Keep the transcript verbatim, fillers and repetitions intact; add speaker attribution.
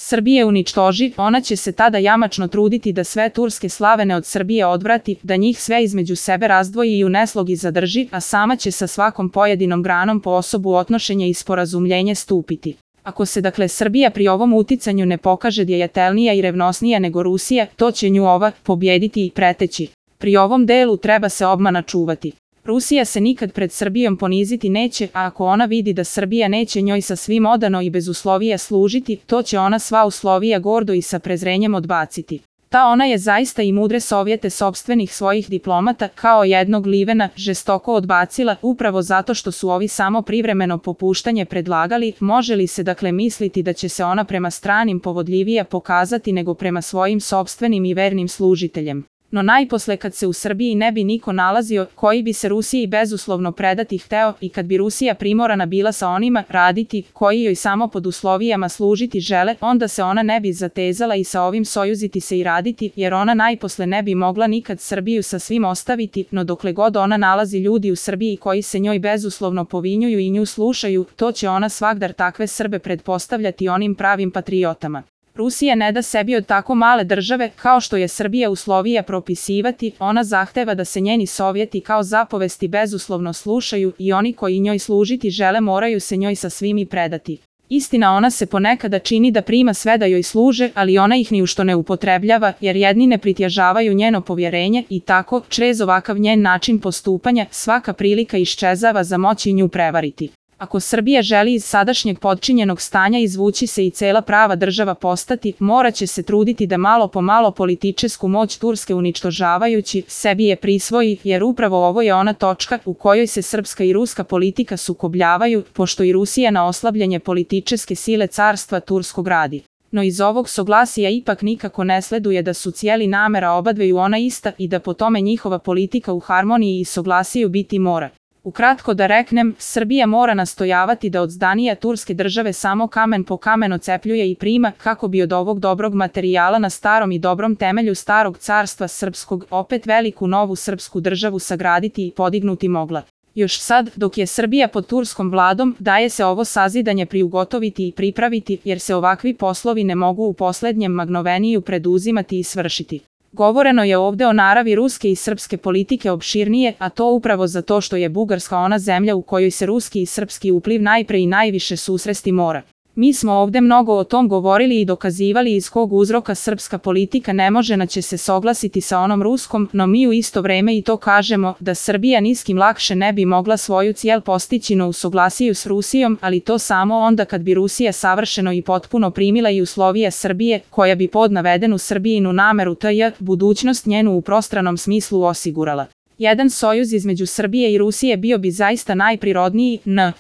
Speaker 1: Srbije uništoži, ona će se tada jamačno truditi da sve turske slavene od Srbije odvrati, da njih sve između sebe razdvoji i u neslogi zadrži, a sama će sa svakom pojedinom granom po osobu otnošenja i sporazumljenje stupiti. Ako se dakle Srbija pri ovom uticanju ne pokaže djetelnija i revnosnija nego Rusija, to će nju ova pobjediti i preteći. Pri ovom delu treba se obmana čuvati. Rusija se nikad pred Srbijom poniziti neće, a ako ona vidi da Srbija neće njoj sa svim odano i bez uslovija služiti, to će ona sva uslovija gordo i sa prezrenjem odbaciti. Ta ona je zaista i mudre sovjete sopstvenih svojih diplomata kao jednog Livena žestoko odbacila, upravo zato što su ovi samo privremeno popuštanje predlagali. Može li se dakle misliti da će se ona prema stranim povodljivija pokazati nego prema svojim sopstvenim i vernim služiteljem? No najposle kad se u Srbiji ne bi niko nalazio koji bi se Rusiji bezuslovno predati hteo i kad bi Rusija primorana bila sa onima raditi koji joj samo pod uslovijama služiti žele, onda se ona ne bi zatezala i sa ovim sojuziti se i raditi, jer ona najposle ne bi mogla nikad Srbiju sa svim ostaviti, no dokle god ona nalazi ljudi u Srbiji koji se njoj bezuslovno povinjuju i nju slušaju, to će ona svagdar takve Srbe pretpostavljati onim pravim patriotama. Rusija ne da sebi od tako male države kao što je Srbija uslovija propisivati, ona zahteva da se njeni sovjeti kao zapovesti bezuslovno slušaju i oni koji njoj služiti žele moraju se njoj sa svim i predati. Istina, ona se ponekada čini da prima sve da joj služe, ali ona ih ni u što ne upotrebljava, jer jedni ne pritježavaju njeno povjerenje i tako, črez ovakav njen način postupanja, svaka prilika iščezava za moći nju prevariti. Ako Srbija želi iz sadašnjeg podčinjenog stanja izvući se i cela prava država postati, morat će se truditi da malo po malo političesku moć Turske uništožavajući sebi je prisvoji, jer upravo ovo je ona točka u kojoj se srpska i ruska politika sukobljavaju, pošto i Rusija na oslabljenje političeske sile carstva turskog radi. No iz ovog soglasija ipak nikako ne sleduje da su cijeli namera obadveju ona ista i da po tome njihova politika u harmoniji i soglasiju biti mora. Ukratko da reknem, Srbija mora nastojavati da od zdanija turske države samo kamen po kamen ocepljuje i prima, kako bi od ovog dobrog materijala na starom i dobrom temelju starog carstva srpskog opet veliku novu srpsku državu sagraditi i podignuti mogla. Još sad, dok je Srbija pod turskom vladom, daje se ovo sazidanje priugotoviti i pripraviti, jer se ovakvi poslovi ne mogu u poslednjem magnoveniju preduzimati i svršiti. Govoreno je ovde o naravi ruske i srpske politike opširnije, a to upravo zato što je Bugarska ona zemlja u kojoj se ruski i srpski upliv najpre i najviše susresti mora. Mi smo ovde mnogo o tom govorili i dokazivali iz kog uzroka srpska politika ne može naće se soglasiti sa onom ruskom, no mi u isto vreme i to kažemo da Srbija niskim lakše ne bi mogla svoju cijel postići no u soglasiju s Rusijom, ali to samo onda kad bi Rusija savršeno i potpuno primila i uslovije Srbije, koja bi pod navedenu Srbijinu nameru tj. budućnost njenu u prostranom smislu osigurala. Jedan sojuz između Srbije i Rusije bio bi zaista najprirodniji, n.